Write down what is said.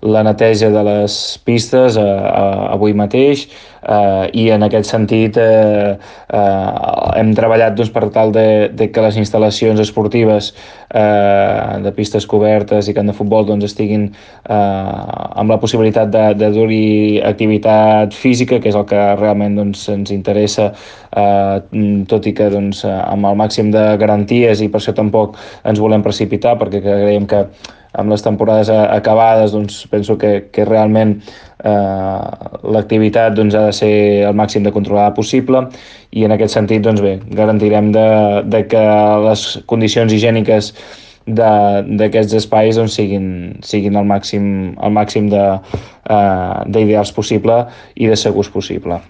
la neteja de les pistes avui mateix, i en aquest sentit hem treballat doncs, per tal de que les instal·lacions esportives de pistes cobertes i camp de futbol doncs, estiguin amb la possibilitat de dur-hi activitat física, que és el que realment doncs, ens interessa, tot i que doncs, amb el màxim de garanties, i per això tampoc ens volem precipitar, perquè creiem que amb les temporades acabades doncs, penso que realment l'activitat doncs, ha de ser el màxim de controlada possible, i en aquest sentit doncs, bé, garantirem de que les condicions higièniques d'aquests espais doncs, siguin el màxim d'ideals possible i de segurs possible.